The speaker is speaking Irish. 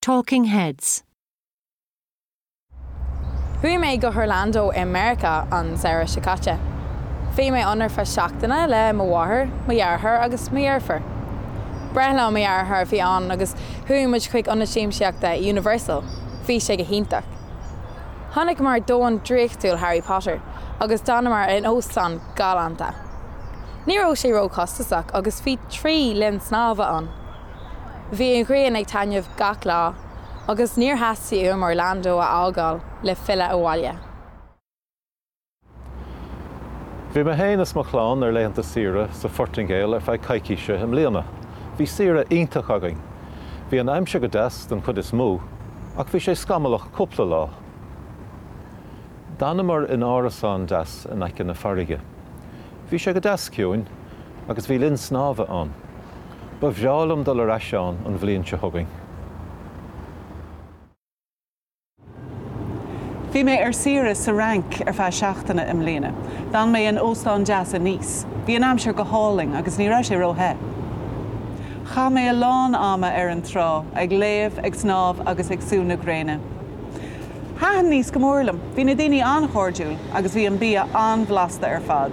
Talking Heads. Chuaigh mé go hOrlando i Meiriceá an samhradh seo caite. Bhí mé ann ar feadh seachtaine le mo mháthair, mo dheartháir agus mo dheirfiúr. Breithlá mo dheartháir a bhí ann agus chuaigh muid chuig ionad siamsaíochta Universal. Bhí sé go hiontach. Chonaiceamar domhan draíochtúil Harry Potter agus d'fhanamar in óstán galánta. Ní raibh sé ró-chostasach agus bhí 3 linn snámha ann. Bhí an ghrian ag taitneamh gach lá agus níor theastaigh uaim Orlando a fhágáil le filleadh abhaile. Bhí mé féin is mo chlann ar laethanta saoire sa Phortaingéil ar feadh coicíse i mbliana. Bhí saoire iontach againn. Bhí an aimsir go deas den chuid is mó, ach bhí sé scamallach cúpla lá. D'fhanamar in árasán deas in aice na farraige. Bhí sé go deas ciúin agus bhí linn snámha ann. Ba bhreá liom dul ar ais ann an bhliain seo chugainn. Bhí mé ar saoire sa Fhrainc ar feadh seachtaine i mbliana. D'fhan mé in óstán deas i Nice. Bhí an aimsir go hálainn agus ní raibh sé ró-the. Chaith mé a lán ama ar an trá, ag léamh, ag snámh agus ag sú na gréine. Thaitin Nice go mór liom. Bhí na daoine an-chairdiúil agus bhí an bia an-bhlasta ar fad.